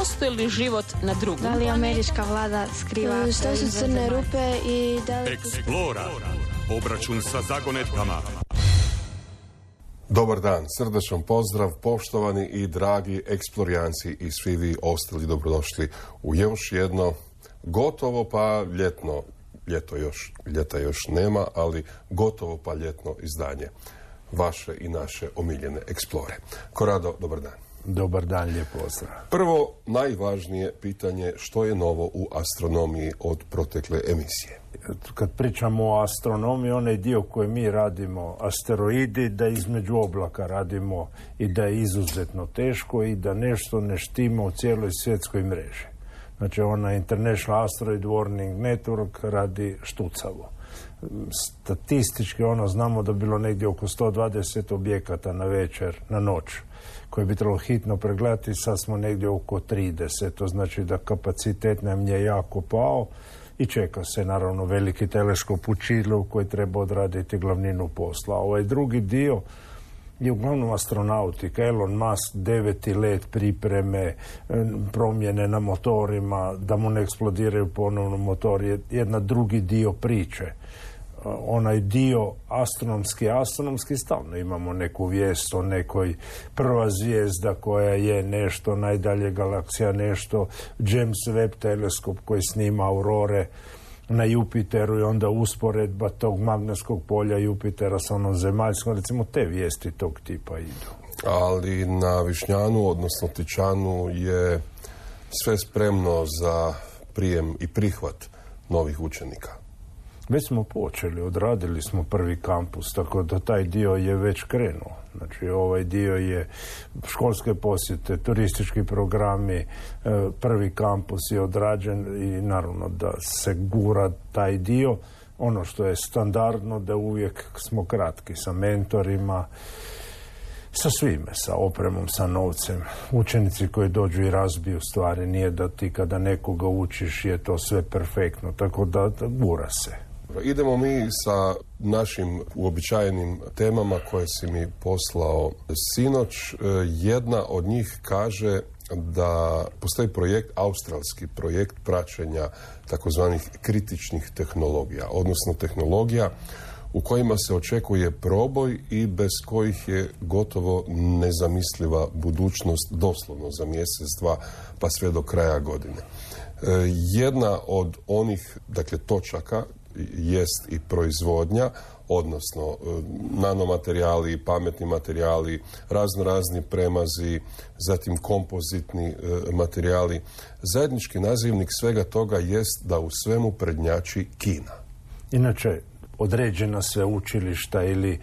postoji li život na drugom? Da li američka vlada skriva... Što su crne rupe i da li... Explora. Obračun sa zagonetkama. Dobar dan, srdačan pozdrav, poštovani i dragi eksplorijanci i svi vi ostali dobrodošli u još jedno gotovo pa ljetno, ljeta još nema, ali gotovo pa ljetno izdanje vaše i naše omiljene Explore. Korado, dobar dan. Dobar dan, lijep pozdrav. Prvo, najvažnije pitanje, što je novo u astronomiji od protekle emisije? Kad pričamo o astronomiji, onaj dio koji mi radimo, asteroidi, da između oblaka radimo i da je izuzetno teško i da nešto ne štima u cijeloj svjetskoj mreži. Znači, ona International Asteroid Warning Network radi štucavo. Statistički znamo da je bilo negdje oko 120 objekata na večer, na noć, koje bi trebalo hitno pregledati, sad smo negdje oko 30. To znači da kapacitet nam je jako pao i čeka se naravno veliki teleskop u Čilu koji treba odraditi glavninu posla. Ovaj drugi dio je uglavnom astronautika. Elon Musk 9. let pripreme, promjene na motorima, da mu ne eksplodiraju ponovno motor, je jedna drugi dio priče. Onaj dio astronomski stalno imamo neku vijest o nekoj prva zvijezda koja je nešto, najdalje galaksija nešto, James Webb teleskop koji snima aurore na Jupiteru i onda usporedba tog magnetskog polja Jupitera sa onom zemaljskom, recimo te vijesti tog tipa idu. Ali na Višnjanu, odnosno Tičanu, je sve spremno za prijem i prihvat novih učenika. Već smo počeli, odradili smo prvi kampus, tako da taj dio je već krenuo. Znači, ovaj dio je školske posjete, turistički programi, prvi kampus je odrađen i naravno da se gura taj dio. Ono što je standardno, da uvijek smo kratki sa mentorima, sa svime, sa opremom, sa novcem. Učenici koji dođu i razbiju stvari, nije da ti kada nekoga učiš je to sve perfektno, tako da gura se. Idemo mi sa našim uobičajenim temama koje si mi poslao sinoć. Jedna od njih kaže da postoji australski projekt praćenja takozvanih kritičnih tehnologija, odnosno tehnologija u kojima se očekuje proboj i bez kojih je gotovo nezamisliva budućnost doslovno za mjesec, dva, pa sve do kraja godine. Jedna od onih, točaka jest i proizvodnja, odnosno nanomaterijali, pametni materijali, razni premazi, zatim kompozitni materijali. Zajednički nazivnik svega toga jest da u svemu prednjači Kina. Inače, određena sveučilišta ili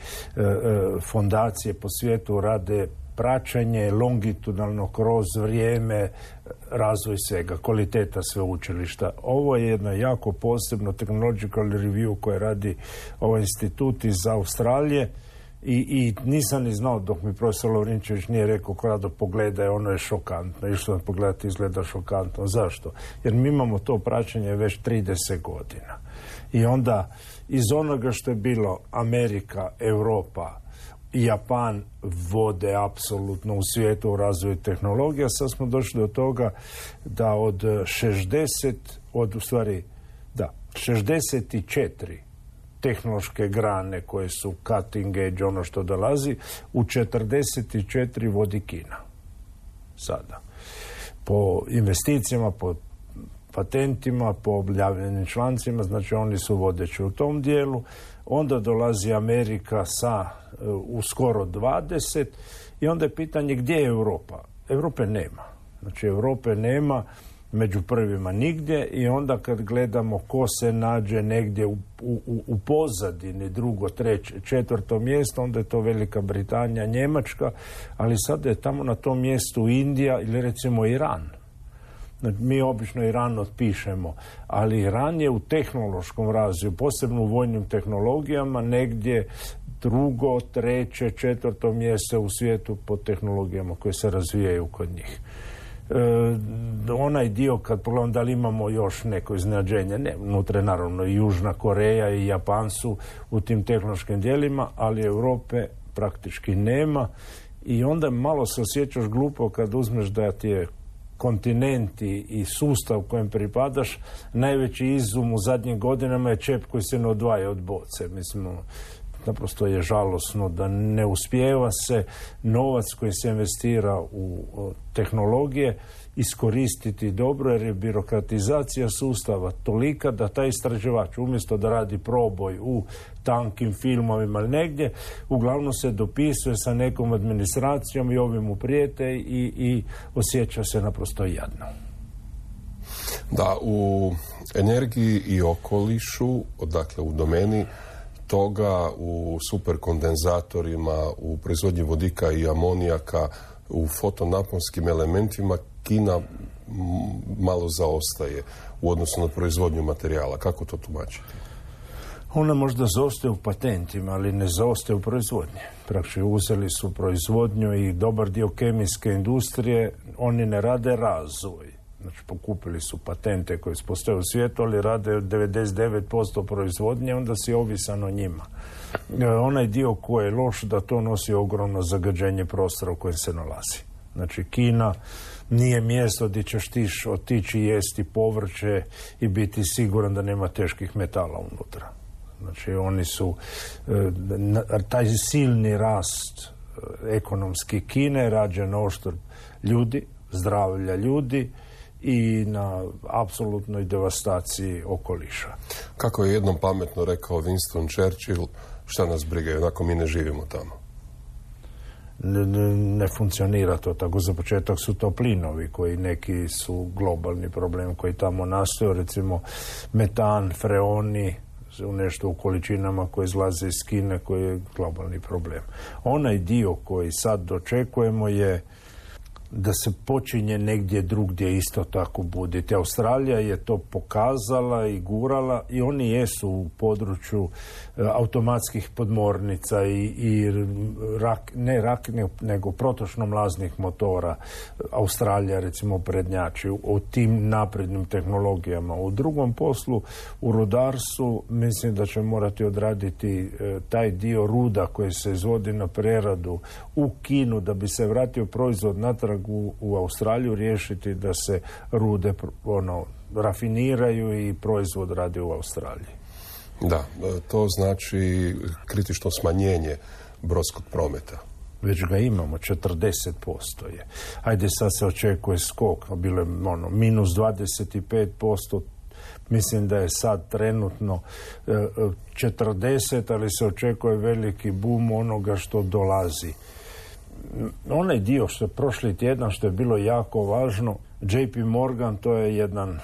fondacije po svijetu rade praćenje longitudinalno kroz vrijeme, razvoj svega, kvaliteta sveučilišta. Ovo je jedno jako posebno technological review koje radi ovaj institut iz Australije i nisam ni znao dok mi profesor Lovrinčević nije rekao Korado pogledaj, ono je šokantno. Išlo sam pogledati, izgleda šokantno. Zašto? Jer mi imamo to praćenje već 30 godina. I onda iz onoga što je bilo Amerika, Europa, Japan vode apsolutno u svijetu u razvoju tehnologija. Sad smo došli do toga da od 64 tehnološke grane koje su cutting edge, ono što dolazi, u 44 vodi Kina. Sada. Po investicijama, po patentima, po objavljenim člancima, znači oni su vodeći u tom dijelu. Onda dolazi Amerika u skoro 20 i onda je pitanje gdje je Europa. Europe nema. Znači Europe nema među prvima nigdje i onda kad gledamo ko se nađe negdje u pozadini, drugo, treće, četvrto mjesto, onda je to Velika Britanija, Njemačka, ali sada je tamo na tom mjestu Indija ili recimo Iran. Mi obično Iran otpišemo, ali Iran je u tehnološkom razvoju, posebno u vojnim tehnologijama, negdje drugo, treće, četvrto mjesto u svijetu po tehnologijama koje se razvijaju kod njih. Onaj dio, kad pogledam da li imamo još neko iznenađenje, ne, unutra je naravno i Južna Koreja i Japan su u tim tehnološkim dijelima, ali Europe praktički nema i onda malo se osjećaš glupo kad uzmeš da ti je kontinent i sustav kojem pripadaš, najveći izum u zadnjim godinama je čep koji se ne odvaja od boce. Mislim, naprosto je žalosno da ne uspijeva se novac koji se investira u tehnologije iskoristiti dobro, jer je birokratizacija sustava tolika da taj istraživač umjesto da radi proboj u tankim filmovima ili negdje, uglavnom se dopisuje sa nekom administracijom i ovim mu prijete i osjeća se naprosto jadno. Da, u energiji i okolišu, dakle u domeni toga, u superkondenzatorima, u proizvodnji vodika i amonijaka, u fotonaponskim elementima Kina malo zaostaje u odnosu na proizvodnju materijala. Kako to tumačiti? Ona možda zaostaje u patentima, ali ne zaostaje u proizvodnji. Praktično uzeli su proizvodnju i dobar dio kemijske industrije, oni ne rade razvoj. Znači, pokupili su patente koje postoje u svijetu, ali rade 99% proizvodnje, onda si ovisan o njima. Onaj dio koji je loš, da to nosi ogromno zagađenje prostora u kojem se nalazi. Znači, Kina nije mjesto gdje ćeš ti otići jesti povrće i biti siguran da nema teških metala unutra. Znači, oni su, taj silni rast ekonomski Kine rađen na oštrb ljudi, zdravlja ljudi i na apsolutnoj devastaciji okoliša. Kako je jednom pametno rekao Winston Churchill, šta nas briga, onako mi ne živimo tamo. Ne funkcionira to tako. Za početak su to plinovi koji neki su globalni problem koji tamo nastaju, recimo metan, freoni, u nešto u količinama koje izlaze iz Kine, koji je globalni problem. Onaj dio koji sad dočekujemo je da se počinje negdje drugdje isto tako buditi. Australija je to pokazala i gurala i oni jesu u području automatskih podmornica nego protočno-mlaznih motora. Australija recimo prednjači u tim naprednim tehnologijama. U drugom poslu, u rudarstvu, mislim da će morati odraditi taj dio ruda koji se izvodi na preradu u Kinu da bi se vratio proizvod natrag u Australiju, riješiti da se rude rafiniraju i proizvod radi u Australiji. Da, to znači kritično smanjenje brodskog prometa. Već ga imamo, 40% je. Ajde, sad se očekuje skok, bilo je minus 25%, mislim da je sad trenutno 40%, ali se očekuje veliki boom onoga što dolazi. Onaj dio što je prošli tjedan, što je bilo jako važno, JP Morgan, to je jedan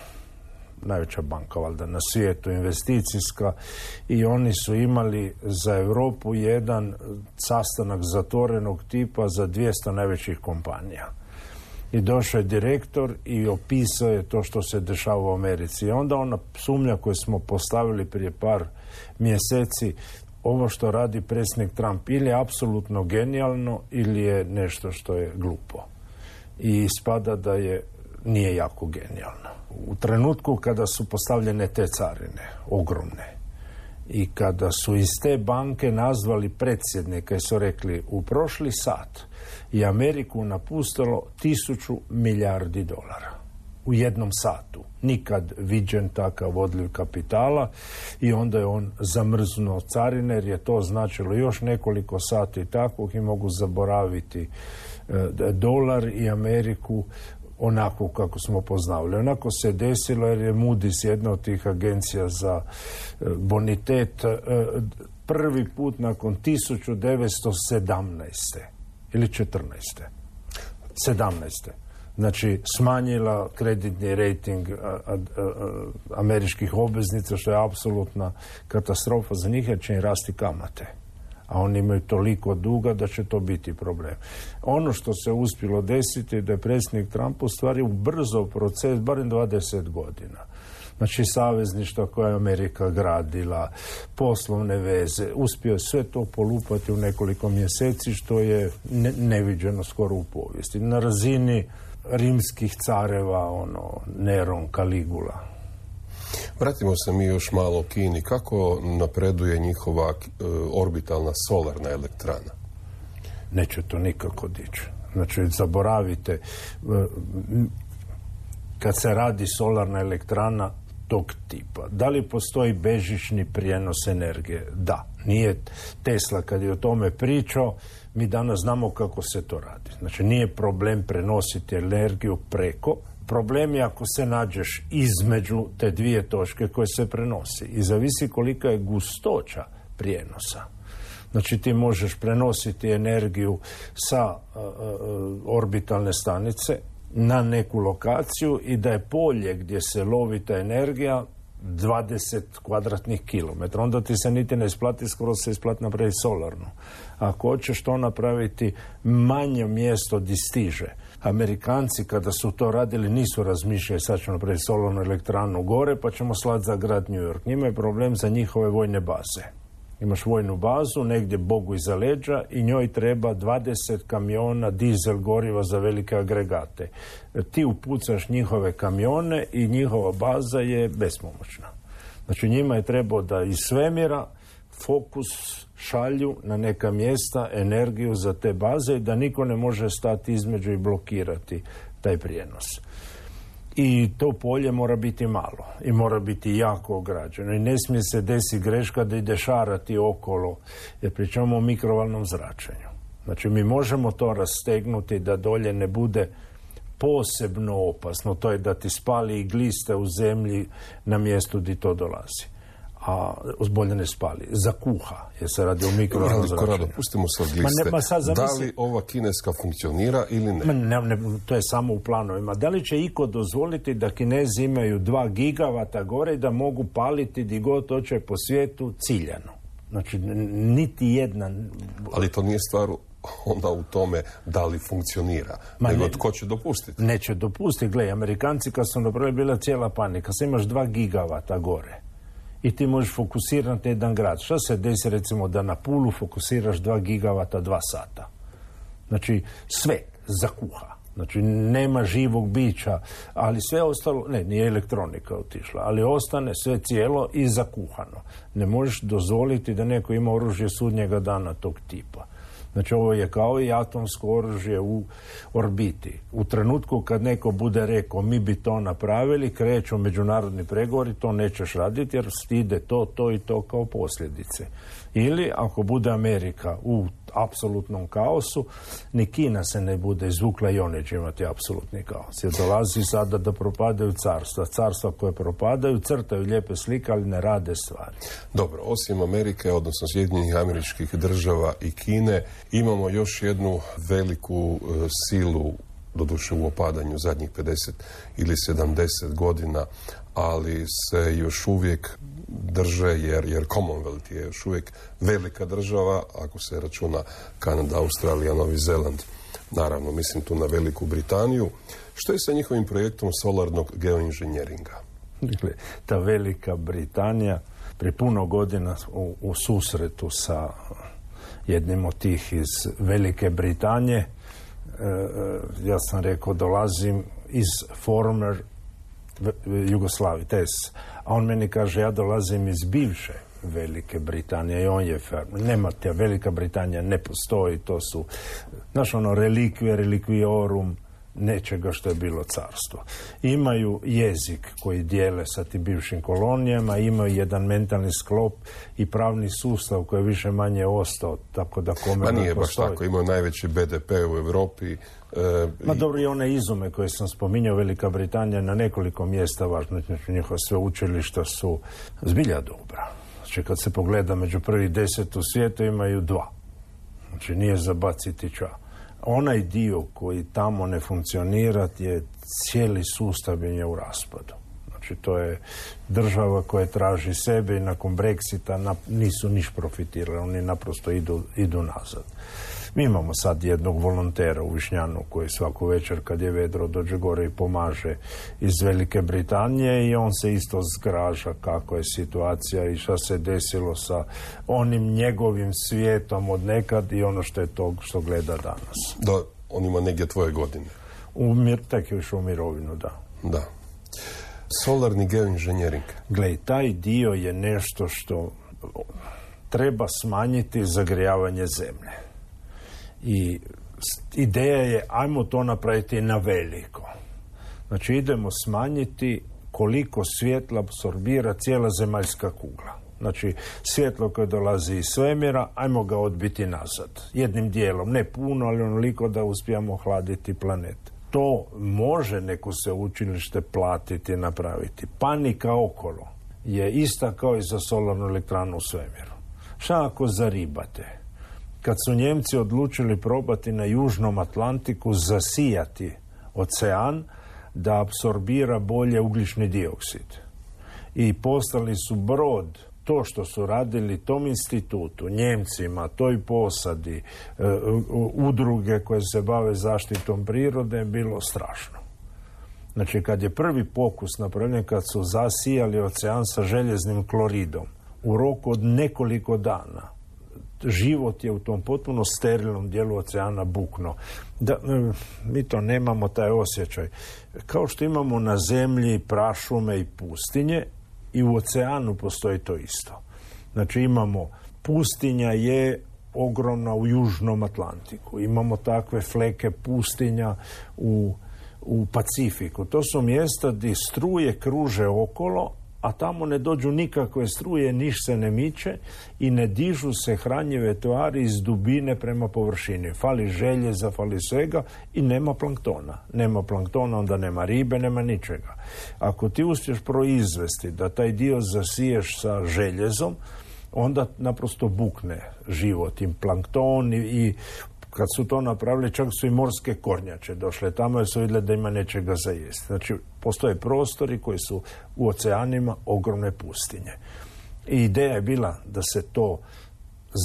najveća banka valjda na svijetu, investicijska, i oni su imali za Europu jedan sastanak zatvorenog tipa za 200 najvećih kompanija. I došao je direktor i opisao je to što se dešava u Americi. I onda ona sumnja koju smo postavili prije par mjeseci, ovo što radi predsjednik Trump ili je apsolutno genijalno ili je nešto što je glupo. I ispada da nije jako genijalno. U trenutku kada su postavljene te carine, ogromne, i kada su iz te banke nazvali predsjednika i su rekli u prošli sat je Ameriku napustilo 1000 milijardi dolara. U jednom satu. Nikad viđen takav odliv kapitala i onda je on zamrznuo carine jer je to značilo još nekoliko sati takvog i mogu zaboraviti dolar i Ameriku onako kako smo poznavali. Onako se desilo jer je Moody's, jedna od tih agencija za bonitet, prvi put nakon 1917. ili 14. 17. Znači, smanjila kreditni rejting američkih obveznica, što je apsolutna katastrofa za njih, jer će im rasti kamate. A oni imaju toliko duga da će to biti problem. Ono što se uspjelo desiti je da je predsjednik Trump u stvari ubrzao proces, barem 20 godina. Znači, savezništva koje je Amerika gradila, poslovne veze, uspio je sve to polupati u nekoliko mjeseci, što je neviđeno skoro u povijesti. Na razini rimskih careva, Neron, Caligula. Vratimo se mi još malo u Kini. Kako napreduje njihova orbitalna solarna elektrana? Neće to nikako dići. Znači, zaboravite, kad se radi solarna elektrana tog tipa. Da li postoji bežični prijenos energije? Da. Nije Tesla kad je o tome pričao, mi danas znamo kako se to radi. Znači nije problem prenositi energiju preko, problem je ako se nađeš između te dvije točke koje se prenosi i zavisi kolika je gustoća prijenosa. Znači ti možeš prenositi energiju sa orbitalne stanice na neku lokaciju i da je polje gdje se lovi ta energija 20 kvadratnih kilometra. Onda ti se niti ne isplati, skoro se isplati napraviti solarnu. Ako hoćeš to napraviti, manje mjesto di stiže. Amerikanci kada su to radili nisu razmišljali sad ćemo napraviti solarnu elektranu gore pa ćemo slati za grad New York. Njima je problem za njihove vojne baze. Imaš vojnu bazu, negdje Bogu iza leđa i njoj treba 20 kamiona dizel goriva za velike agregate. Ti upucaš njihove kamione i njihova baza je bespomoćna. Znači njima je trebao da iz svemira fokus šalju na neka mjesta energiju za te baze i da niko ne može stati između i blokirati taj prijenos. I to polje mora biti malo i mora biti jako ograđeno i ne smije se desiti greška da ide šarati okolo, jer pričamo o mikrovalnom zračenju. Znači mi možemo to rastegnuti da dolje ne bude posebno opasno, to je da ti spali i gliste u zemlji na mjestu gdje to dolazi. A bolje ne spali, zakuha, jer se radi o mikrovalnom zračenju. Korado, pustimo se od gliste. Da li ova kineska funkcionira ili ne? To je samo u planovima. Da li će iko dozvoliti da Kinezi imaju 2 gigavata gore i da mogu paliti di god hoće po svijetu ciljano? Znači, niti jedna... Ali to nije stvar onda u tome da li funkcionira, nego tko će dopustiti? Neće dopustiti. Gle, Amerikanci kad su napravili bila cijela panika. Sad imaš 2 gigavata gore i ti možeš fokusirati jedan grad. Što se desi recimo da na Pulu fokusiraš 2 gigavata 2 sata? Znači sve zakuha. Znači nema živog bića, ali sve ostalo, nije elektronika otišla, ali ostane sve cijelo i zakuhano. Ne možeš dozvoliti da neko ima oružje sudnjega dana tog tipa. Znači ovo je kao i atomsko oružje u orbiti. U trenutku kad neko bude rekao mi bi to napravili, kreću međunarodni pregovori, to nećeš raditi jer ide to i to kao posljedice. Ili ako bude Amerika u apsolutnom kaosu, ni Kina se ne bude izvukla i one će imati apsolutni kaos. Jer dolazi sada da propadaju carstva. Carstva koje propadaju, crtaju lijepe slike, ali ne rade stvari. Dobro, osim Amerike, odnosno Sjedinjenih Američkih Država i Kine, imamo još jednu veliku silu, doduše u opadanju zadnjih 50 ili 70 godina, ali se još uvijek drže, jer Commonwealth je još uvijek velika država, ako se računa Kanada, Australija, Novi Zeland, naravno mislim tu na Veliku Britaniju. Što je sa njihovim projektom solarnog geoinženjeringa? Ta Velika Britanija prije puno godina u susretu sa jednim od tih iz Velike Britanije, ja sam rekao dolazim iz former Jugoslavije, a on meni kaže ja dolazim iz bivše Velike Britanije i on je nema te, Velika Britanija ne postoji, to su relikvije, relikviorum nečega što je bilo carstvo. Imaju jezik koji dijele sa tim bivšim kolonijama, imaju jedan mentalni sklop i pravni sustav koji je više manje ostao, tako da kome ne nije postoji. Baš tako, imaju najveći BDP u Europi. Dobro, i one izume koje sam spominjao, Velika Britanija na nekoliko mjesta važno, znači njihova sveučilišta su zbilja dobra. Znači kad se pogleda među prvih 10 u svijetu imaju 2. Znači nije za baciti ča. Onaj dio koji tamo ne funkcionira je cijeli sustav je u raspadu. Znači to je država koja traži sebe i nakon Brexita nisu niš profitirali, oni naprosto idu nazad. Mi imamo sad jednog volontera u Višnjanu koji svaku večer kad je vedro dođe gore i pomaže iz Velike Britanije i on se isto zgraža kako je situacija i šta se desilo sa onim njegovim svijetom od nekad i ono što je to što gleda danas. Da, on ima negdje tvoje godine. Tek je išao u mirovinu, da. Da. Solarni geoinženjering. Gle, taj dio je nešto što treba smanjiti zagrijavanje zemlje. I ideja je, ajmo to napraviti na veliko. Znači idemo smanjiti koliko svjetla apsorbira cijela zemaljska kugla. Znači svjetlo koje dolazi iz svemira, ajmo ga odbiti nazad. Jednim dijelom, ne puno, ali onoliko da uspijemo hladiti planet. To može neko sveučilište platiti i napraviti. Panika okolo je ista kao i za solarnu elektranu u svemiru. Šta ako zaribate? Kad su Njemci odlučili probati na Južnom Atlantiku zasijati ocean da apsorbira bolje ugljični dioksid. I poslali su brod, to što su radili tom institutu, Njemcima, toj posadi, udruge koje se bave zaštitom prirode, je bilo strašno. Znači, kad je prvi pokus napravljen, kad su zasijali ocean sa željeznim kloridom, u roku od nekoliko dana, život je u tom potpuno sterilnom dijelu oceana bukno. Mi to nemamo, taj osjećaj. Kao što imamo na zemlji prašume i pustinje, i u oceanu postoji to isto. Znači imamo, pustinja je ogromna u Južnom Atlantiku. Imamo takve fleke pustinja u Pacifiku. To su mjesta gdje struje kruže okolo, a tamo ne dođu nikakve struje, niš se ne miče i ne dižu se hranjive tvari iz dubine prema površini. Fali željeza, fali svega i nema planktona. Nema planktona, onda nema ribe, nema ničega. Ako ti uspješ proizvesti da taj dio zasiješ sa željezom, onda naprosto bukne život i plankton i kad su to napravili, čak su i morske kornjače došle tamo jer su vidjeli da ima nečega za jesti. Znači, postoje prostori koji su u oceanima ogromne pustinje. I ideja je bila da se to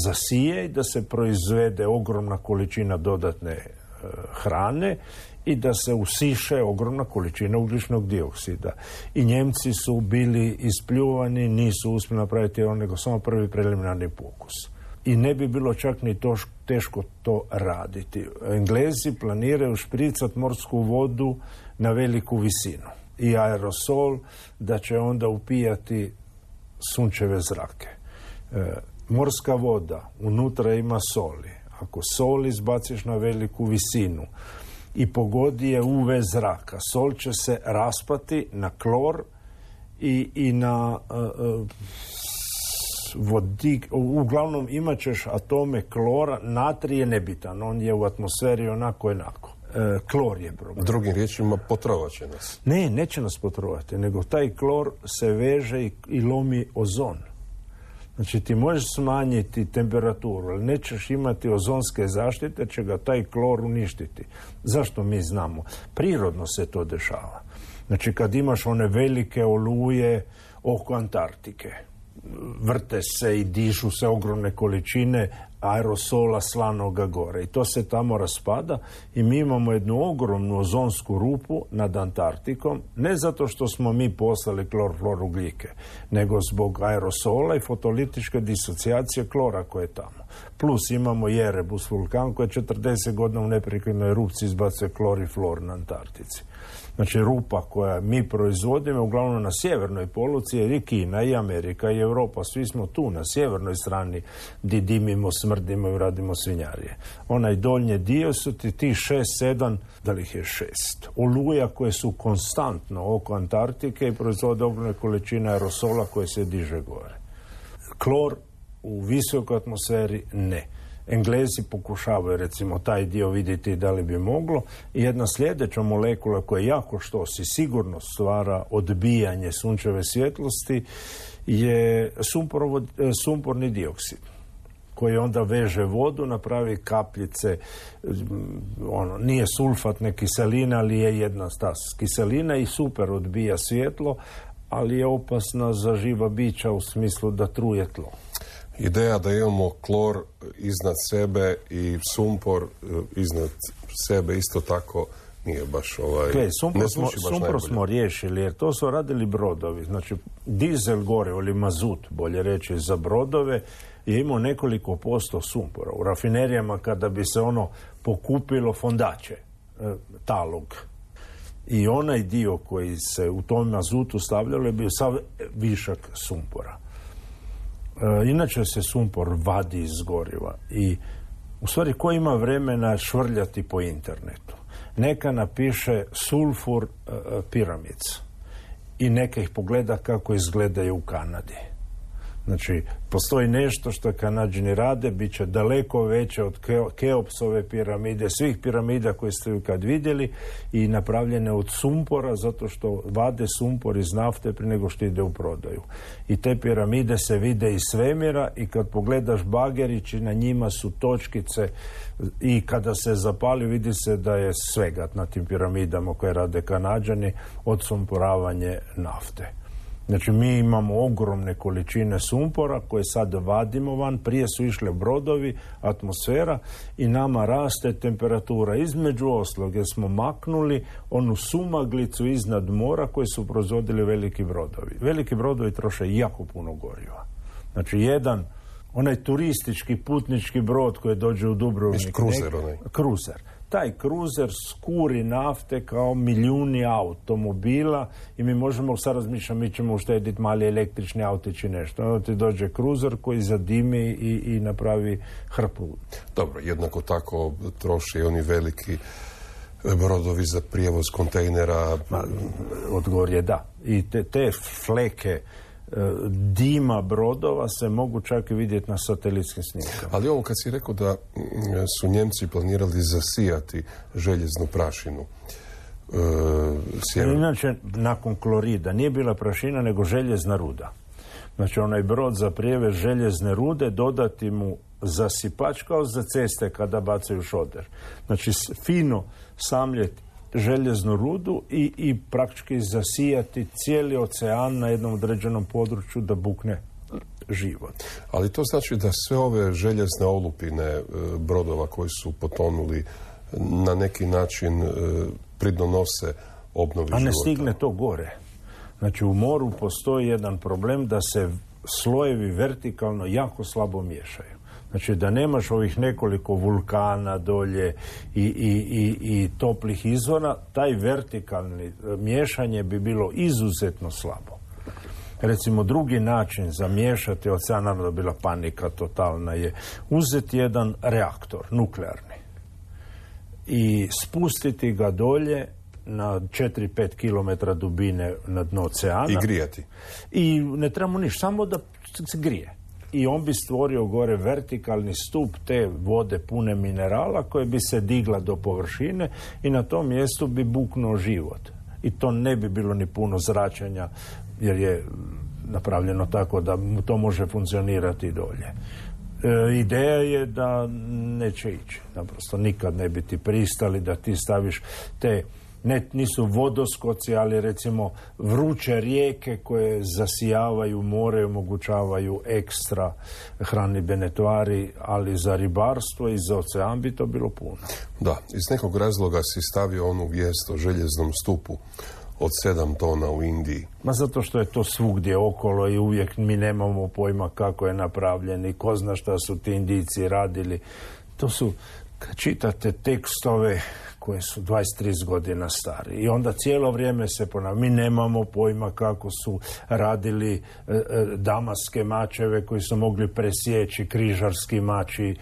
zasije i da se proizvede ogromna količina dodatne hrane i da se usiše ogromna količina ugljičnog dioksida. I Njemci su bili ispljuvani, nisu uspjeli napraviti nego samo prvi preliminarni pokus. I ne bi bilo čak ni teško to raditi. Englezi planiraju špricati morsku vodu na veliku visinu i aerosol da će onda upijati sunčeve zrake. Morska voda, unutra ima soli. Ako sol izbaciš na veliku visinu i pogodi je UV zraka, sol će se raspati na klor i na vodik. Uglavnom imat ćeš atome klora, natrij je nebitan, on je u atmosferi onako. Klor je problem. Drugim riječima, potrovat će nas. Ne, neće nas potrovati, nego taj klor se veže i lomi ozon. Znači ti možeš smanjiti temperaturu, ali nećeš imati ozonske zaštite, će ga taj klor uništiti. Zašto mi znamo? Prirodno se to dešava. Znači kad imaš one velike oluje oko Antarktike, vrte se i dižu se ogromne količine aerosola slanoga gore i to se tamo raspada i mi imamo jednu ogromnu ozonsku rupu nad Antarktikom, ne zato što smo mi poslali klorflorugljike, nego zbog aerosola i fotolitičke disocijacije klora koje je tamo. Plus imamo Erebus vulkan koji 40 godina u neprekidnoj erupciji izbacuje klor i flor na Antarktici. Znači rupa koja mi proizvodimo uglavnom na sjevernoj poluci, jer i Kina i Amerika i Europa, svi smo tu na sjevernoj strani gdje dimimo, smrdimo i radimo svinjarije. Onaj donji dio su ti 6-7, da li ih je 6, oluja koje su konstantno oko Antarktike i proizvode ogromne količine aerosola koje se diže gore. Klor u visokoj atmosferi ne. Englezi pokušavaju recimo taj dio vidjeti da li bi moglo i jedna sljedeća molekula koja jako štosi sigurno stvara odbijanje sunčeve svjetlosti je sumporni dioksid koji onda veže vodu, napravi kapljice, nije sulfatne kiseline, ali je jedna ta kiselina i super odbija svjetlo, ali je opasna za živa bića u smislu da truje tlo. Ideja da imamo klor iznad sebe i sumpor iznad sebe isto tako nije baš sumpor smo riješili jer to su radili brodovi. Znači dizel gorivo ili mazut, bolje reći, za brodove je imao nekoliko posto sumpora. U rafinerijama kada bi se ono pokupilo fondače, talog. I onaj dio koji se u tom mazutu stavljalo je bio sav višak sumpora. Inače se sumpor vadi iz goriva i u stvari ko ima vremena švrljati po internetu. neka napiše sulfur piramids i neka ih pogleda kako izgledaju u Kanadi. Znači, postoji nešto što Kanađani rade, bit će daleko veće od Keopsove piramide, svih piramida koje ste kad vidjeli, i napravljene od sumpora, zato što vade sumpor iz nafte prije nego što ide u prodaju. I te piramide se vide iz svemira, i kad pogledaš bagerići, na njima su točkice, i kada se zapali vidi se da je svega na tim piramidama koje rade Kanađani od sumporavanje nafte. Znači, mi imamo ogromne količine sumpora koje sad vadimo van, prije su išle brodovi, atmosfera, i nama raste temperatura. Između ostalog, jer smo maknuli onu sumaglicu iznad mora koje su proizvodili veliki brodovi. Veliki brodovi troše jako puno goriva. Znači, onaj turistički putnički brod koji dođe u Dubrovnik. Kruzer. Taj kruzer skuri nafte kao milijuni automobila, i mi možemo sad razmišljati, mi ćemo uštediti mali električni autić i nešto. Onda ti dođe kruzer koji zadimi i napravi hrpu. Dobro, jednako tako troši oni veliki brodovi za prijevoz kontejnera. Odgovor je da. I te fleke dima brodova se mogu čak i vidjeti na satelitskim snimkama. Ali ovo kad si rekao da su Njemci planirali zasijati željeznu prašinu. Inače, nakon klorida nije bila prašina nego željezna ruda. Znači, onaj brod za prijevez željezne rude, dodati mu zasipač kao za ceste kada bacaju šoder. Znači, fino samljeti željeznu rudu i praktički zasijati cijeli ocean na jednom određenom području da bukne život. Ali to znači da sve ove željezne olupine brodova koji su potonuli na neki način pridonose obnovi života. A ne stigne to gore. Znači, u moru postoji jedan problem da se slojevi vertikalno jako slabo miješaju. Znači, da nemaš ovih nekoliko vulkana dolje i toplih izvora, taj vertikalni miješanje bi bilo izuzetno slabo. Recimo, drugi način za miješati ocean, naravno da bila panika totalna, je uzeti jedan reaktor nuklearni i spustiti ga dolje na 4-5 km dubine na dno oceana. I grijati. I ne trebamo ništa, samo da se grije. I on bi stvorio gore vertikalni stup te vode pune minerala koje bi se digla do površine, i na tom mjestu bi buknuo život. I to ne bi bilo ni puno zračenja, jer je napravljeno tako da to može funkcionirati dolje. Ideja je da neće ići. Naprosto nikad ne bi ti pristali da ti staviš te, nisu vodoskoci, ali recimo vruće rijeke koje zasijavaju more, omogućavaju ekstra hranidbene tvari, ali za ribarstvo i za ocean bi to bilo puno. Da, iz nekog razloga si stavio onu vijest o željeznom stupu od 7 tona u Indiji. Ma zato što je to svugdje okolo i uvijek mi nemamo pojma kako je napravljen i ko zna šta su ti Indijci radili. To su, kad čitate tekstove koje su 23 godina stari, i onda cijelo vrijeme se ponavlja, mi nemamo pojma kako su radili damaske mačeve koji su mogli presjeći, križarski mači.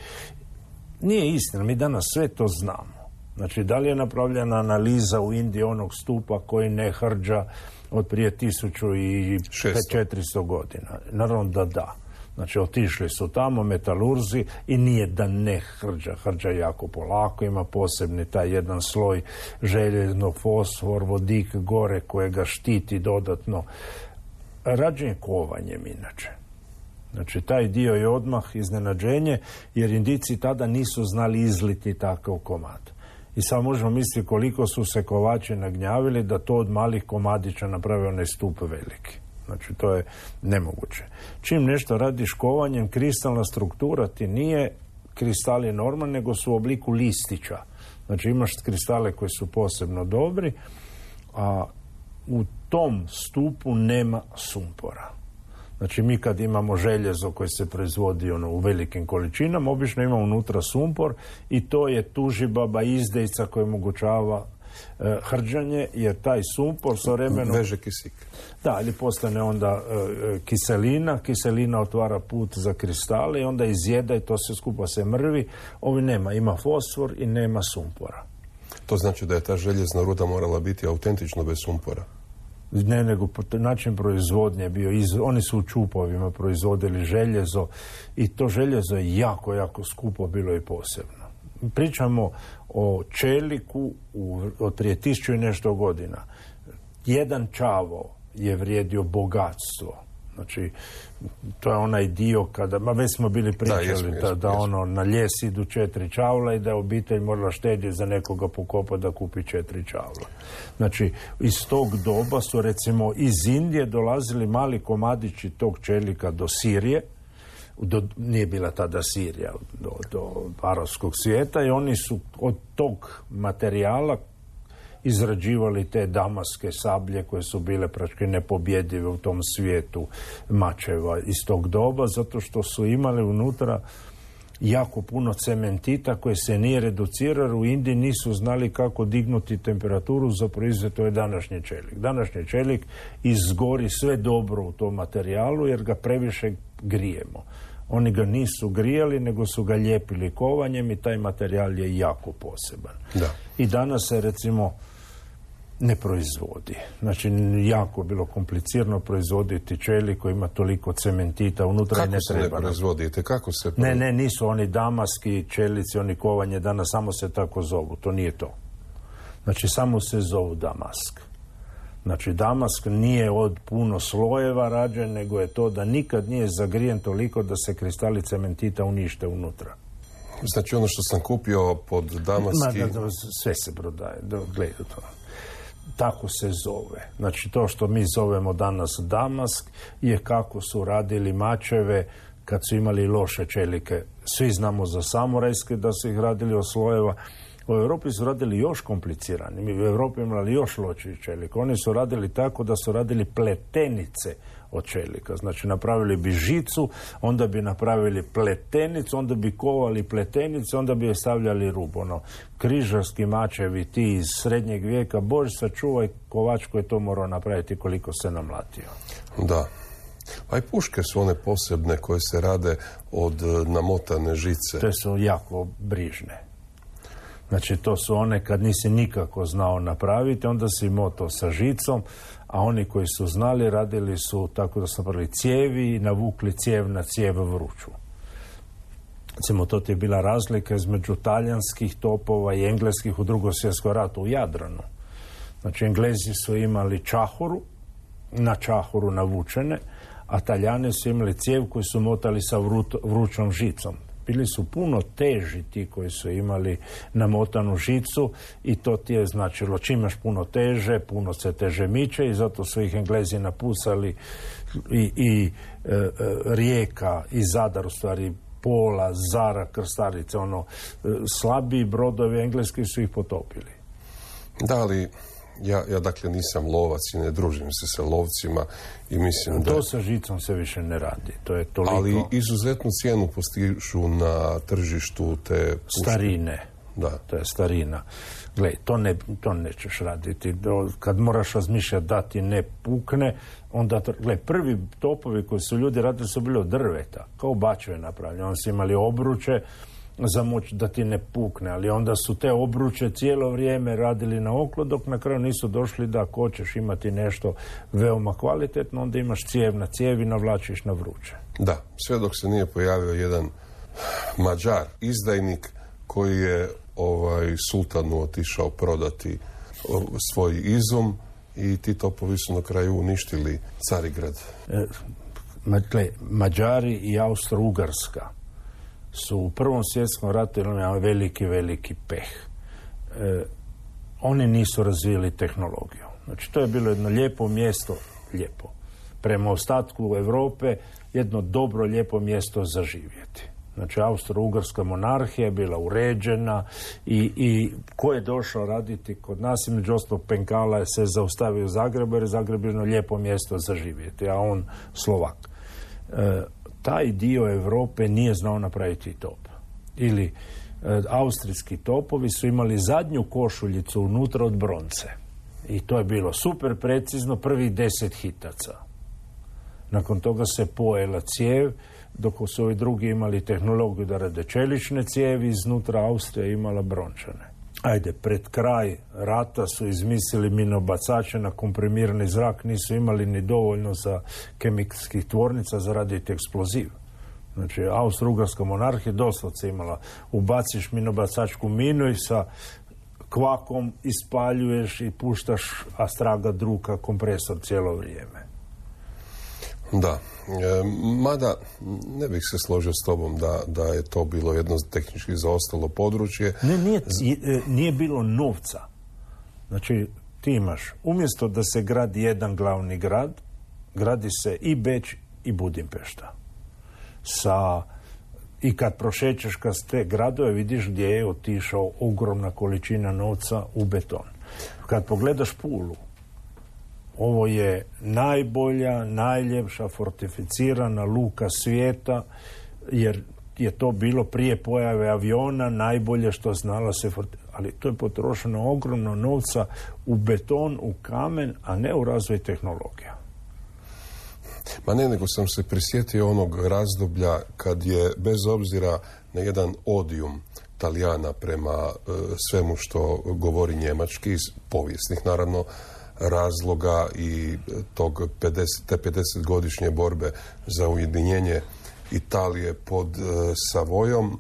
Nije istina, mi danas sve to znamo. Znači, da li je napravljena analiza u Indiji onog stupa koji ne hrđa od prije 1400 godina? Naravno da. Znači, otišli su tamo metalurzi i nije da ne hrđa jako polako, ima posebni taj jedan sloj željezno, fosfor, vodik gore koje ga štiti dodatno. Rađen kovanjem inače. Znači, taj dio je odmah iznenađenje, jer Indijci tada nisu znali izliti takav komad. I sad možemo misliti koliko su se kovači nagnjavili da to od malih komadića naprave onaj stup veliki. Znači, to je nemoguće. Čim nešto radiš kovanjem, kristalna struktura ti nije kristali normalni, nego su u obliku listića. Znači, imaš kristale koji su posebno dobri, a u tom stupu nema sumpora. Znači, mi kad imamo željezo koje se proizvodi u velikim količinama, obično ima unutra sumpor, i to je tužibaba izdejica koja omogućava hrđanje, jer taj sumpor sa vremenom veže kisik. Da, ali postane onda kiselina otvara put za kristale i onda izjeda i to se skupa se mrvi. Ovi nema, ima fosfor i nema sumpora. To znači da je ta željezna ruda morala biti autentično bez sumpora? Ne, nego način proizvodnje je bio, oni su u čupovima proizvodili željezo i to željezo je jako, jako skupo bilo i posebno. Pričamo o čeliku od prije 1000 i nešto godina. Jedan čavao je vrijedio bogatstvo. Znači, to je onaj dio kada, već smo bili pričali da ono na ljes idu 4 čavla i da je obitelj morala štedjeti za nekoga pokopa da kupi 4 čavla. Znači, iz tog doba su recimo iz Indije dolazili mali komadići tog čelika do Sirije, nije bila tada Sirija, do arapskog svijeta, i oni su od tog materijala izrađivali te damaske sablje koje su bile praktički nepobjedive u tom svijetu mačeva iz tog doba, zato što su imali unutra jako puno cementita koje se nije reduciralo. U Indiji nisu znali kako dignuti temperaturu za proizvod, to je današnji čelik. Današnji čelik izgori sve dobro u tom materijalu jer ga previše grijemo. Oni ga nisu grijali, nego su ga lijepili kovanjem i taj materijal je jako poseban. Da. I danas se recimo ne proizvodi. Znači, jako je bilo komplicirano proizvoditi čelik koji ima toliko cementita unutra. Kako i ne se treba. Ne proizvodite? Kako se Ne, nisu oni damaski čelici, oni kovanje danas, samo se tako zovu. To nije to. Znači, samo se zovu damask. Znači, damask nije od puno slojeva rađen, nego je to da nikad nije zagrijen toliko da se kristali cementita unište unutra. Znači, ono što sam kupio pod damaski... Sve se prodaje. Gledaj to. Tako se zove. Znači, to što mi zovemo danas damask je kako su radili mačeve kad su imali loše čelike. Svi znamo za samurajske da su ih radili od slojeva. U Europi su radili još komplicirani. Mi u Europi imali još lošiji čelik. Oni su radili tako da su radili pletenice od čelika. Znači, napravili bi žicu, onda bi napravili pletenicu, onda bi kovali pletenice, onda bi je stavljali rub. Križarski mačevi, ti iz srednjeg vijeka, Bože sačuvaj, kovač koji je to morao napraviti koliko se namlatio. Da. Pa i puške su one posebne koje se rade od namotane žice. Te su jako brižne. Znači, to su one kad nisi nikako znao napraviti, onda si moto sa žicom, a oni koji su znali radili su tako da su napravili cijevi i navukli cijev na cijev vruću. Recimo, to ti je bila razlika između talijanskih topova i engleskih u Drugom svjetskom ratu u Jadranu. Znači, Englezi su imali čahuru, na čahuru navučene, a Talijani su imali cijev koju su motali sa vrućom žicom. Bili su puno teži ti koji su imali namotanu žicu i to ti je značilo čim imaš puno teže, puno se teže miče i zato su ih Englezi napusali i Rijeka i Zadar, u stvari Pola, Zara, Krstarice, slabiji brodovi engleski su ih potopili. Da, ali ja dakle nisam lovac i ne družim se sa lovcima i mislim da... To sa žicom se više ne radi. To je toliko... Ali izuzetnu cijenu postižu na tržištu te puške. Starine. Da. To je starina. Gle, to nećeš raditi. Kad moraš razmišljati da ti ne pukne, onda... Gle, prvi topovi koji su ljudi radili su bili od drveta. Kao bačve napravljeni. Oni su imali obruče za moć da ti ne pukne, ali onda su te obruče cijelo vrijeme radili na oklo, dok na kraju nisu došli da ako hoćeš imati nešto veoma kvalitetno, onda imaš cijev na cijevi, navlačiš na vruće. Da, sve dok se nije pojavio jedan Mađar, izdajnik, koji je sultanu otišao prodati svoj izum i ti topovi su na kraju uništili Carigrad. Mađari i Austro-Ugarska su u Prvom svjetskom ratu imali veliki peh. Oni nisu razvijeli tehnologiju. Znači, to je bilo jedno lijepo mjesto, prema ostatku Europe, jedno dobro, lijepo mjesto za živjeti. Znači, Austro-Ugarska monarhija je bila uređena i ko je došao raditi kod nas, među ostalog Penkala se zaustavio u Zagrebu, jer je Zagreb jedno lijepo mjesto za živjeti, a on Slovak. Taj dio Europe nije znao napraviti top. Ili austrijski topovi su imali zadnju košuljicu unutra od bronce. I to je bilo super precizno, prvih 10 hitaca. Nakon toga se pojela cijev, dok su ovi drugi imali tehnologiju da rade čelične cijevi, iznutra Austrija imala brončane. pred kraj rata su izmislili minobacače na komprimirani zrak, nisu imali ni dovoljno za kemijskih tvornica za raditi eksploziv. Znači, Austro-Ugarska monarhija doslovce imala, ubaciš minobacačku minu i sa kvakom ispaljuješ i puštaš, a straga druka kompresor cijelo vrijeme. Da, mada ne bih se složio s tobom da je to bilo jedno tehnički zaostalo područje. Nije bilo novca. Znači, ti imaš, umjesto da se gradi jedan glavni grad, gradi se i Beč i Budimpešta. I kad prošećeš kroz te gradove, vidiš gdje je otišao ogromna količina novca u beton. Kad pogledaš Pulu, ovo je najbolja, najljepša fortificirana luka svijeta, jer je to bilo prije pojave aviona najbolje što znala se ali to je potrošeno ogromno novca u beton, u kamen, a ne u razvoj tehnologija. Ma ne, nego sam se prisjetio onog razdoblja kad je, bez obzira na jedan odijum Talijana prema svemu što govori njemački, iz povijesnih naravno razloga i te 50-godišnje borbe za ujedinjenje Italije pod Savojom,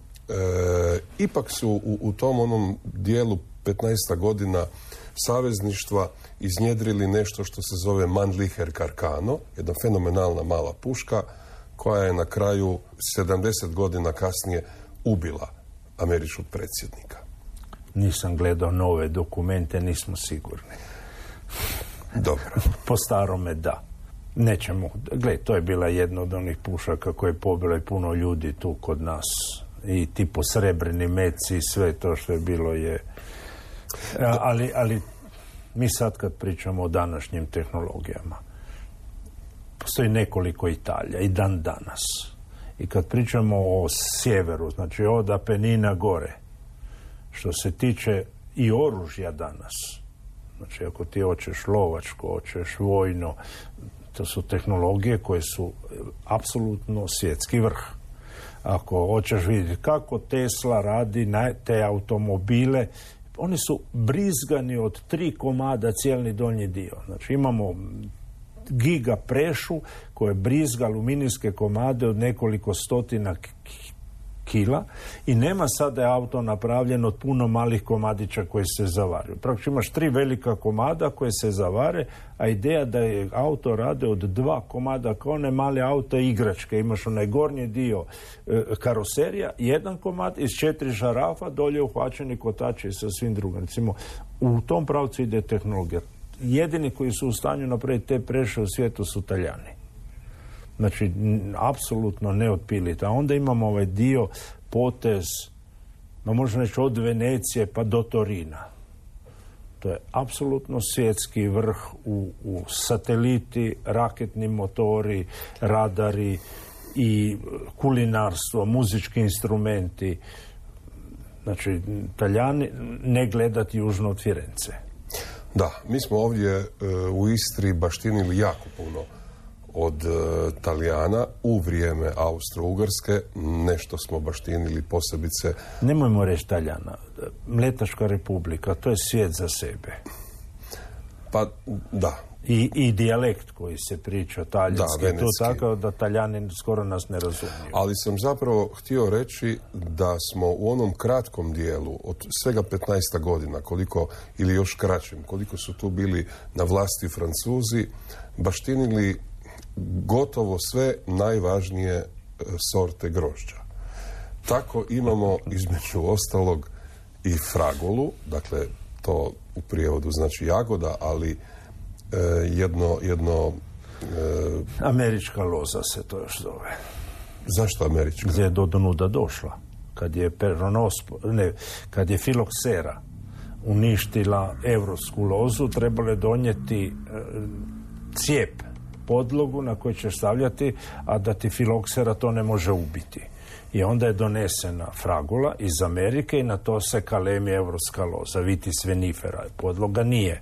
ipak su u tom onom dijelu 15 godina savezništva iznjedrili nešto što se zove Mannlicher Carcano, jedna fenomenalna mala puška koja je na kraju 70 godina kasnije ubila američkog predsjednika. Nisam gledao nove dokumente, nismo sigurni. Dobro. Po starome da. Nećemo. Gle, to je bila jedna od onih pušaka koje je pobilo i puno ljudi tu kod nas. I tipo srebrni meci i sve to što je bilo je... Ali mi sad kad pričamo o današnjim tehnologijama, postoji nekoliko Italija i dan danas. I kad pričamo o sjeveru, znači od Apenina gore, što se tiče i oružja danas, znači ako ti hoćeš lovačko, hoćeš vojno, to su tehnologije koje su apsolutno svjetski vrh. Ako hoćeš vidjeti kako Tesla radi te automobile, oni su brizgani od 3 komada cijelni donji dio. Znači imamo giga prešu koje brizga aluminijske komade od nekoliko stotina kila i nema sada je auto napravljen od puno malih komadića koji se zavaraju. Praktično imaš 3 velika komada koje se zavare, a ideja da je auto rade od 2 komada kao one male auto igračke. Imaš onaj gornji dio karoserija, 1 komad iz 4 žarafa, dolje uhvaćeni kotači sa svim drugim. Recimo, u tom pravcu ide tehnologija. Jedini koji su u stanju napraviti te preše u svijetu su Talijani. Znači, apsolutno neotpiliti. A onda imamo ovaj dio, potez, možemo reći od Venecije pa do Torina. To je apsolutno svjetski vrh u sateliti, raketni motori, radari i kulinarstvo, muzički instrumenti. Znači, Talijani ne gledati južno od Firence. Da, mi smo ovdje u Istri baštinili jako puno od Talijana u vrijeme Austro-Ugarske, nešto smo baštinili posebice. Nemojmo reći Talijana, Mletačka republika, to je svijet za sebe. Pa, da. I dijalekt koji se priča talijanski, da, to tako da Talijani skoro nas ne razumiju. Ali sam zapravo htio reći da smo u onom kratkom dijelu, od svega 15 godina, koliko, ili još kraćem, koliko su tu bili na vlasti Francuzi, baštinili gotovo sve najvažnije sorte grožđa. Tako imamo između ostalog i fragolu, dakle to u prijevodu znači jagoda, ali jedno američka loza se to još zove. Zašto američka? Gdje je do donuda došla. Kad je filoksera uništila evropsku lozu, trebalo je donijeti cijep, podlogu na koju ćeš stavljati, a da ti filoksera to ne može ubiti. I onda je donesena fragula iz Amerike i na to se kalemi evropska loza, vitis vinifera, podloga nije.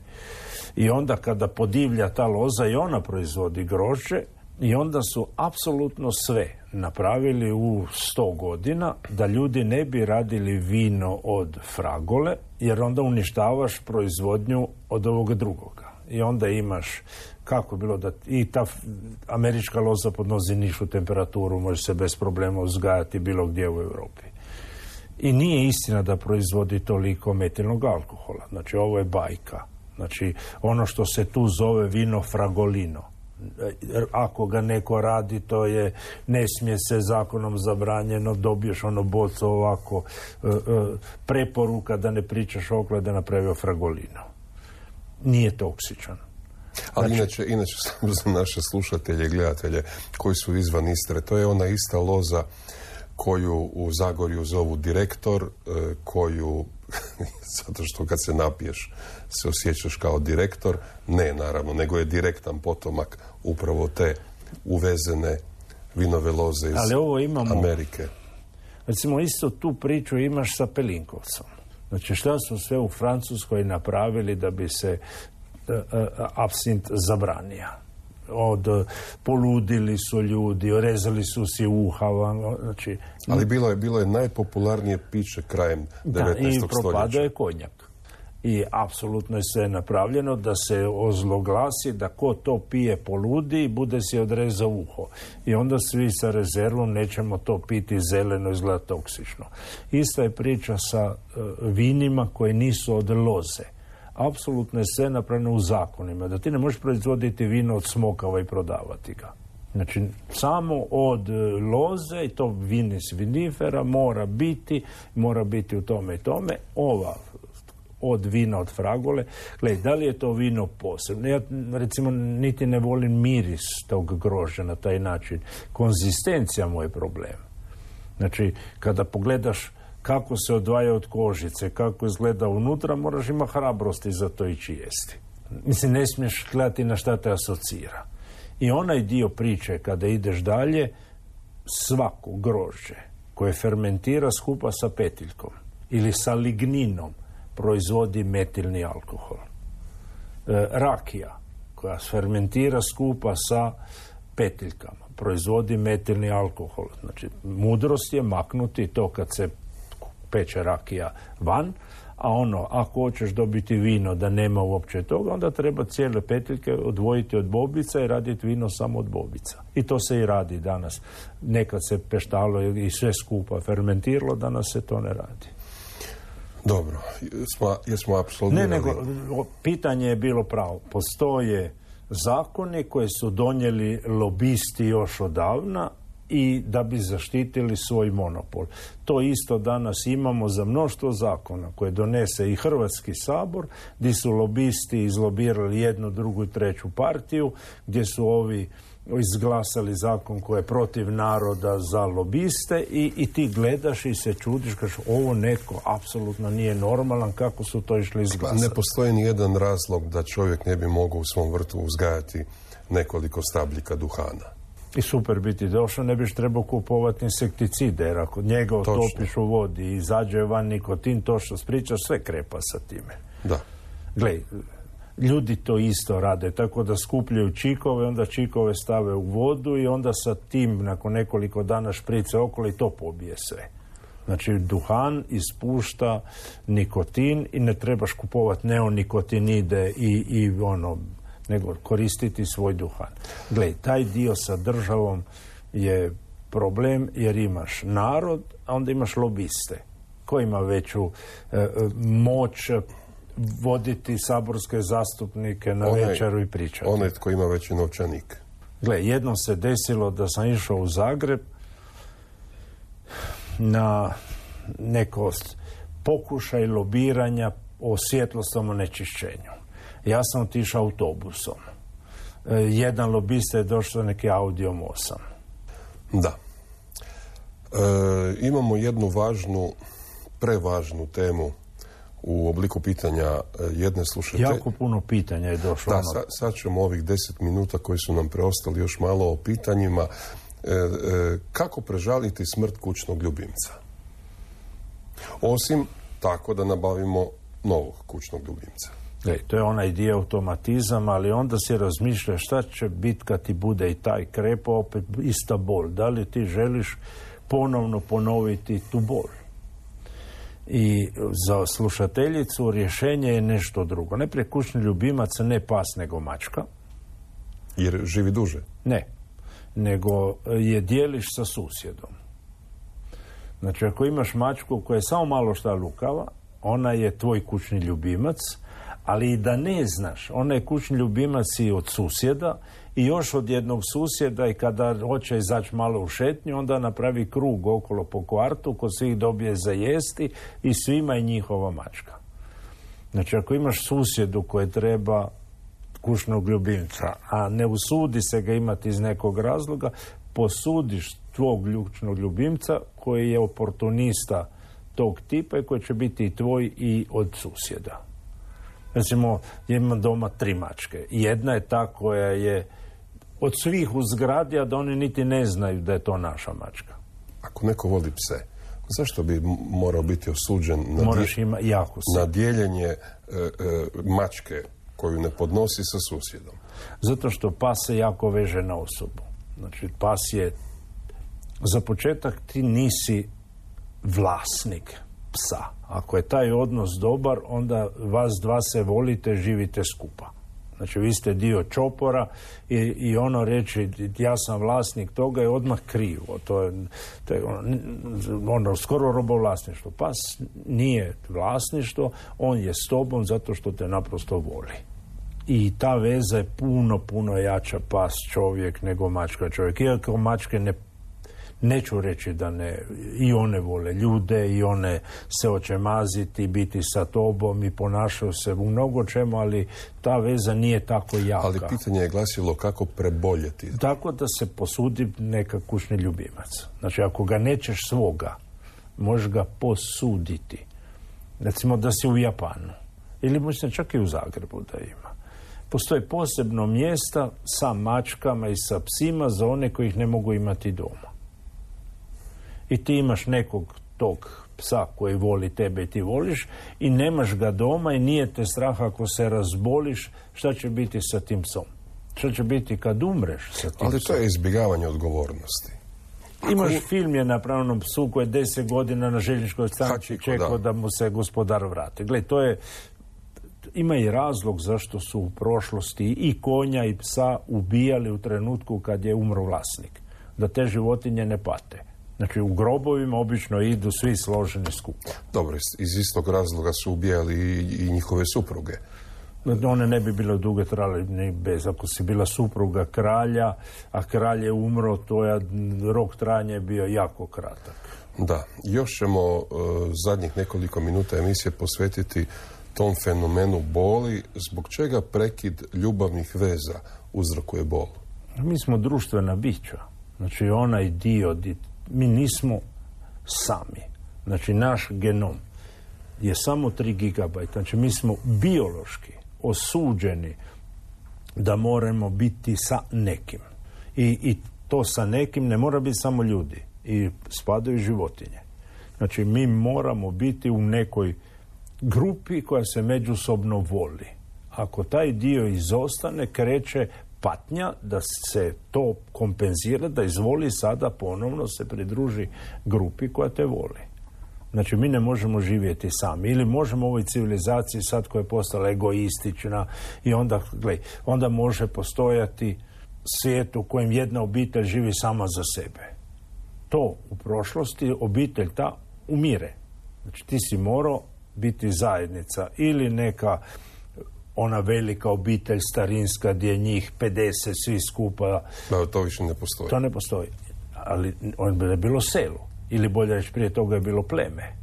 I onda kada podivlja ta loza i ona proizvodi grožđe, I onda su apsolutno sve napravili u 100 godina da ljudi ne bi radili vino od fragole, jer onda uništavaš proizvodnju od ovog drugoga. I onda imaš, kako je bilo da i ta američka loza podnosi nižu temperaturu, može se bez problema uzgajati bilo gdje u Europi. I nije istina da proizvodi toliko metilnog alkohola. Znači, ovo je bajka. Znači, ono što se tu zove vino fragolino. Ako ga neko radi, to je, ne smije se zakonom zabranjeno, dobiješ ono bocu ovako, preporuka da ne pričaš okolo da napravio fragolino. Nije toksičan. Ali inače samo za naše slušatelje i gledatelje koji su izvan Istre, to je ona ista loza koju u Zagorju zovu direktor, koju, zato što kad se napiješ se osjećaš kao direktor, ne naravno, nego je direktan potomak upravo te uvezene vinove loze iz Amerike. Recimo, isto tu priču imaš sa Pelinkovcom. Znači, šta su sve u Francuskoj napravili da bi se apsint zabranio? Poludili su ljudi, rezali su si uha. Znači, ali bilo je najpopularnije piće krajem 19. stoljeća. I propadao je konjak. I apsolutno je sve napravljeno da se ozloglasi da ko to pije poludi i bude si odrezao uho. I onda svi sa rezervom nećemo to piti zeleno, izgleda toksično. Ista je priča sa vinima koje nisu od loze. Apsolutno je sve napravljeno u zakonima. Da ti ne možeš proizvoditi vino od smokava i prodavati ga. Znači, samo od loze, i to vinis vinifera, mora biti u tome i tome. Ova od vina od fragole. Gledaj, da li je to vino posebno? Ja, recimo, niti ne volim miris tog grožđa na taj način. Konzistencija mu je problem. Znači, kada pogledaš kako se odvaja od kožice, kako izgleda unutra, moraš imati hrabrosti za to ići jesti. Mislim, ne smiješ gledati na šta te asocira. I onaj dio priče, kada ideš dalje, svako grožđe koje fermentira skupa sa petiljkom ili sa ligninom proizvodi metilni alkohol. Rakija koja fermentira skupa sa petiljkama proizvodi metilni alkohol. Znači, mudrost je maknuti to kad se peče rakija van, a ako hoćeš dobiti vino da nema uopće toga, onda treba cijele petiljke odvojiti od bobica i raditi vino samo od bobica. I to se i radi danas. Nekad se peštalo i sve skupa fermentiralo, danas se to ne radi. Dobro, jesmo apsolutno... Ne, nego pitanje je bilo pravo. Postoje zakoni koje su donijeli lobisti još odavna i da bi zaštitili svoj monopol. To isto danas imamo za mnoštvo zakona koje donese i Hrvatski sabor, gdje su lobisti izlobirali jednu, drugu i treću partiju, gdje su ovi izglasali zakon koji je protiv naroda za lobiste i ti gledaš i se čudiš, kažeš, ovo netko apsolutno nije normalan, kako su to išli izglasati. Ne postoji ni jedan razlog da čovjek ne bi mogao u svom vrtu uzgajati nekoliko stabljika duhana. I super biti došao, ne biš trebao kupovati insekticide, jer ako njega otopiš u vodi i izađe van nikotin, to što spričaš, sve krepa sa time. Da. Gle, ljudi to isto rade, tako da skupljaju čikove, onda čikove stave u vodu i onda sa tim nakon nekoliko dana šprice okolo i to pobije sve. Znači, duhan ispušta nikotin i ne trebaš kupovati neonikotinide i nego koristiti svoj duhan. Gle, taj dio sa državom je problem jer imaš narod, a onda imaš lobiste koji ima veću moć voditi saborske zastupnike na večeru i pričati. Onaj tko ima veći novčanik. Gle, jednom se desilo da sam išao u Zagreb na neko pokušaj lobiranja o svjetlosnom onečišćenju. Ja sam otišao autobusom. Jedan lobista je došao neki Audiom 8. Da. Imamo jednu prevažnu temu u obliku pitanja jedne slušatelje. Jako puno pitanja je došlo. Da, sad ćemo ovih 10 minuta koji su nam preostali još malo o pitanjima. Kako prežaliti smrt kućnog ljubimca? Osim tako da nabavimo novog kućnog ljubimca. To je onaj dio automatizam, ali onda si razmišlja šta će biti kad ti bude i taj krepo, opet ista bol. Da li ti želiš ponovno ponoviti tu bol? I za slušateljicu rješenje je nešto drugo. Najprije kućni ljubimac ne pas nego mačka. Jer živi duže? Ne, nego je dijeliš sa susjedom. Znači, ako imaš mačku koja je samo malo šta lukava, ona je tvoj kućni ljubimac, ali i da ne znaš, ona je kućni ljubimac i od susjeda i još od jednog susjeda, i kada hoće izaći malo u šetnju, onda napravi krug okolo po kvartu, ko svih dobije za jesti i svima je njihova mačka. Znači, ako imaš susjedu koje treba kućnog ljubimca, a ne usudi se ga imati iz nekog razloga, posudiš tvog kućnog ljubimca koji je oportunista tog tipa i koji će biti i tvoj i od susjeda. Recimo, imam doma 3 mačke. Jedna je ta koja je od svih u zgradi, a da oni niti ne znaju da je to naša mačka. Ako neko voli pse, zašto bi morao biti osuđen na dijeljenje mačke koju ne podnosi sa susjedom? Zato što pas se jako veže na osobu. Znači, pas je, za početak, ti nisi vlasnik psa. Ako je taj odnos dobar, onda vas dva se volite, živite skupa. Znači, vi ste dio čopora i ono reći ja sam vlasnik toga je odmah krivo. To je ono skoro robovlasništvo. Pas nije vlasništvo, on je s tobom zato što te naprosto voli. I ta veza je puno jača pas čovjek nego mačka čovjek. Iako mačke neću reći da ne, i one vole ljude, i one se hoće maziti, biti sa tobom i ponašaju se u mnogo čemu, ali ta veza nije tako jaka. Ali pitanje je glasilo kako preboljeti. Tako da se posudi neka kućni ljubimac. Znači, ako ga nećeš svoga, možeš ga posuditi. Recimo da si u Japanu. Ili mislim čak i u Zagrebu da ima. Postoje posebno mjesta sa mačkama i sa psima za one koji ih ne mogu imati doma. I ti imaš nekog tog psa koji voli tebe i ti voliš i nemaš ga doma i nije te strah ako se razboliš, šta će biti sa tim psom? Šta će biti kad umreš sa tim psom? Ali to je izbjegavanje odgovornosti. Imaš film je na pravnom psu koji je 10 godina na željezničkoj stanici čekao da mu se gospodar vrati. Gle, to je, ima i razlog zašto su u prošlosti i konja i psa ubijali u trenutku kad je umro vlasnik. Da te životinje ne pate. Znači, u grobovima obično idu svi složeni skupa. Dobro, iz istog razloga su ubijali i njihove supruge. One ne bi bile duge trajale ni bez. Ako si bila supruga kralja, a kralj je umro, to je rok trajanja je bio jako kratak. Da, još ćemo zadnjih nekoliko minuta emisije posvetiti tom fenomenu boli. Zbog čega prekid ljubavnih veza uzrokuje bol? Mi smo društvena bića. Znači, onaj dio, mi nismo sami. Znači, naš genom je samo 3 gigabajta. Znači, mi smo biološki osuđeni da moramo biti sa nekim. I to sa nekim ne mora biti samo ljudi. I spadaju životinje. Znači, mi moramo biti u nekoj grupi koja se međusobno voli. Ako taj dio izostane, kreće patnja da se to kompenzira, da izvoli sada ponovno se pridruži grupi koja te voli. Znači, mi ne možemo živjeti sami. Ili možemo u ovoj civilizaciji sad koja je postala egoistična i onda može postojati svijet u kojem jedna obitelj živi sama za sebe. To u prošlosti obitelj ta umire. Znači, ti si morao biti zajednica ili neka ona velika obitelj starinska gdje je njih 50 svi skupa. Da, to više ne postoji. To ne postoji. Ali on je bilo selo. Ili bolje reći, prije toga je bilo pleme.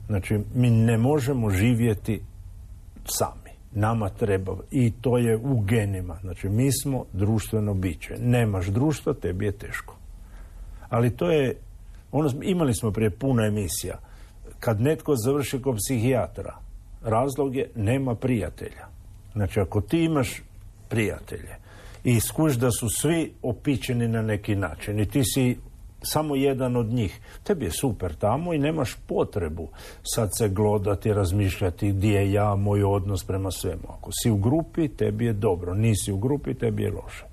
Znači, mi ne možemo živjeti sami. Nama treba. I to je u genima. Znači, mi smo društveno biće. Nemaš društva, tebi je teško. Ali to je, imali smo prije puno emisija. Kad netko završi kod psihijatra, razlog je nema prijatelja. Znači, ako ti imaš prijatelje i skuš da su svi opičeni na neki način i ti si samo jedan od njih. Tebi je super tamo i nemaš potrebu sad se glodati, razmišljati gdje je ja, moj odnos prema svemu. Ako si u grupi, tebi je dobro. Nisi u grupi, tebi je loše.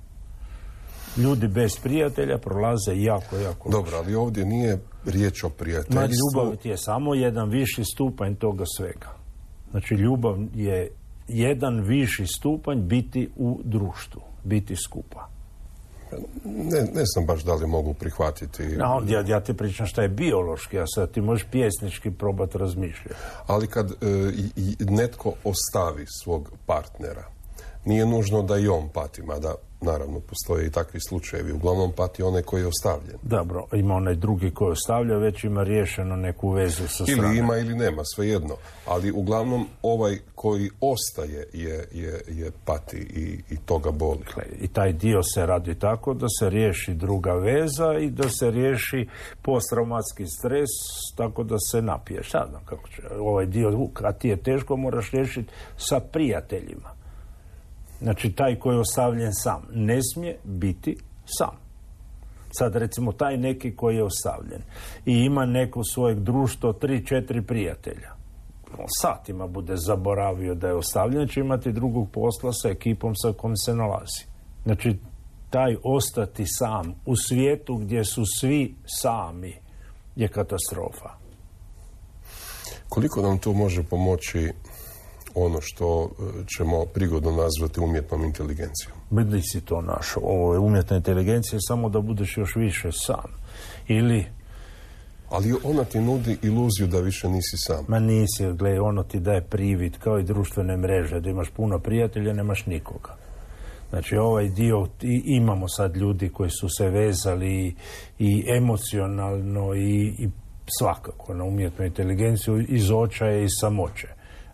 Ljudi bez prijatelja prolaze jako loše. Dobro, ali ovdje nije riječ o prijateljstvu. Ljubav ti je samo jedan viši stupanj toga svega. Znači, ljubav je jedan viši stupanj biti u društvu, biti skupa. Ne znam baš da li mogu prihvatiti. Ja ti pričam šta je biološki, a sad ti možeš pjesnički probati razmišljati. Ali kad netko ostavi svog partnera, nije nužno da i on pati, mada naravno postoje i takvi slučajevi. Uglavnom pati onaj koji je ostavljen. Dobro, ima onaj drugi koji ostavlja, već ima riješeno neku vezu sa strane. Ili ima ili nema, svejedno. Ali uglavnom ovaj koji ostaje je pati i toga boli. I taj dio se radi tako da se riješi druga veza i da se riješi posttraumatski stres tako da se napiješ. Sad znam kako će. Ovaj dio, kad ti je teško, moraš riješiti sa prijateljima. Znači, taj koji je ostavljen sam ne smije biti sam. Sad, recimo, taj neki koji je ostavljen i ima neko svojeg društva, 3-4 prijatelja. Satima bude zaboravio da je ostavljen, će imati drugog posla sa ekipom sa kojom se nalazi. Znači, taj ostati sam u svijetu gdje su svi sami je katastrofa. Koliko nam tu može pomoći ono što ćemo prigodno nazvati umjetnom inteligencijom? Bili si to našo. Ovo je umjetna inteligencija samo da budeš još više sam. Ali ona ti nudi iluziju da više nisi sam. Ma nisi, gledaj, ono ti daje privid kao i društvene mreže, da imaš puno prijatelja, nemaš nikoga. Znači, ovaj dio, imamo sad ljudi koji su se vezali i emocionalno i svakako na umjetnu inteligenciju iz očaja i samoće.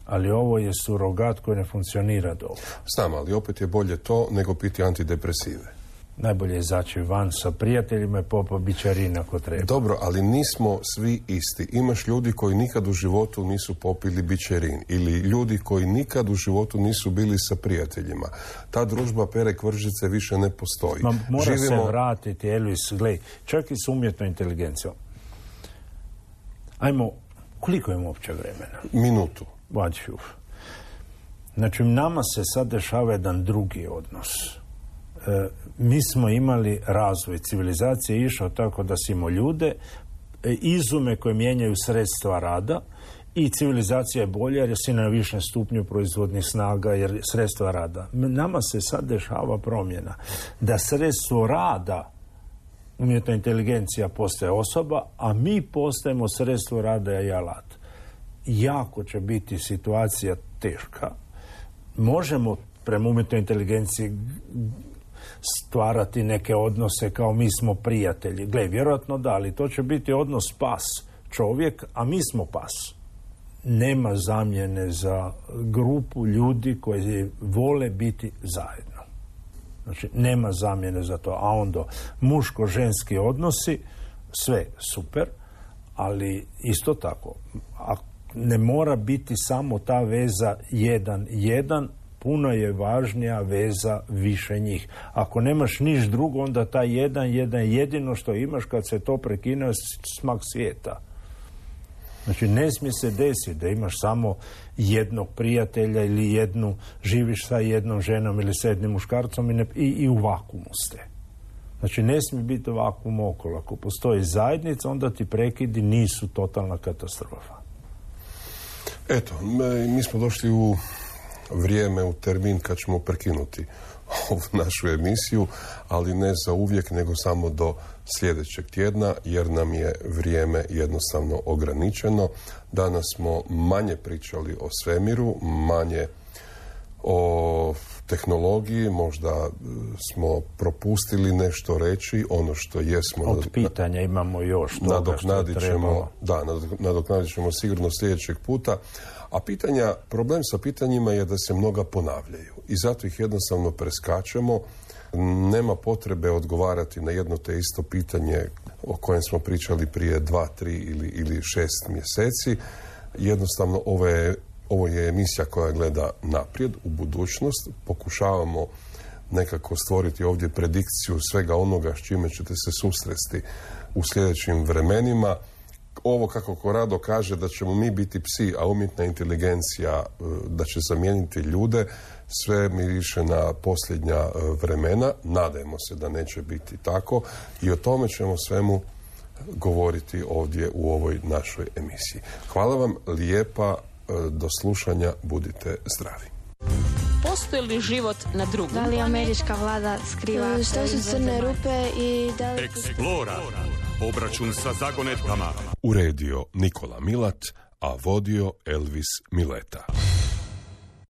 Ali ovo je surogat koji ne funkcionira dobro. Znam, ali opet je bolje to nego piti antidepresive. Najbolje je izaći van sa prijateljima i popa bičarina ako treba. Dobro, ali nismo svi isti. Imaš ljudi koji nikad u životu nisu popili bičerin ili ljudi koji nikad u životu nisu bili sa prijateljima. Ta družba pere kvržice više ne postoji. Mora se vratiti, Elvis, gledaj, čak i s umjetnom inteligencijom. Ajmo, koliko imamo uopće vremena? Minutu. Znači, nama se sad dešava jedan drugi odnos. Mi smo imali razvoj civilizacije, išao tako da si imao ljude, izume koje mijenjaju sredstva rada i civilizacija je bolja jer si na višem stupnju proizvodnih snaga jer sredstva rada. Nama se sad dešava promjena da sredstvo rada, umjetna inteligencija postaje osoba, a mi postajemo sredstvo rada i alat. Jako će biti situacija teška. Možemo prema umjetnoj inteligenciji stvarati neke odnose kao mi smo prijatelji. Gle, vjerojatno da, ali to će biti odnos pas čovjek, a mi smo pas. Nema zamjene za grupu ljudi koji vole biti zajedno. Znači, nema zamjene za to. A onda muško-ženski odnosi, sve super, ali isto tako, ne mora biti samo ta veza 1:1, puno je važnija veza više njih. Ako nemaš niš drugo, onda ta 1:1 jedino što imaš, kad se to prekine, smak svijeta. Znači, ne smije se desiti da imaš samo jednog prijatelja ili živiš sa jednom ženom ili sa jednim muškarcom i u vakuumu ste. Znači, ne smije biti vakuum okolo. Ako postoji zajednica, onda ti prekidi nisu totalna katastrofa. Eto, mi smo došli u vrijeme, u termin kad ćemo prekinuti ovu našu emisiju, ali ne za uvijek, nego samo do sljedećeg tjedna, jer nam je vrijeme jednostavno ograničeno. Danas smo manje pričali o svemiru, manje o tehnologiji, možda smo propustili nešto reći, ono što jesmo... Od pitanja imamo još toga što je trebalo. Da, nadoknadit ćemo sigurno sljedećeg puta. A problem sa pitanjima je da se mnoga ponavljaju i zato ih jednostavno preskačemo. Nema potrebe odgovarati na jedno te isto pitanje o kojem smo pričali prije 2, 3 ili 6 mjeseci. Jednostavno ovo je emisija koja gleda naprijed, u budućnost. Pokušavamo nekako stvoriti ovdje predikciju svega onoga s čime ćete se susresti u sljedećim vremenima. Ovo, kako Corrado kaže, da ćemo mi biti psi, a umjetna inteligencija da će zamijeniti ljude, sve miriše na posljednja vremena. Nadajmo se da neće biti tako i o tome ćemo svemu govoriti ovdje u ovoj našoj emisiji. Hvala vam lijepa, do slušanja, budite zdravi. Postoji li život na drugom? Da li američka vlada skriva? Što su crne rupe i da li... Eksplora. Obračun sa zagonetkama. Uredio Nikola Milat, a vodio Elvis Mileta.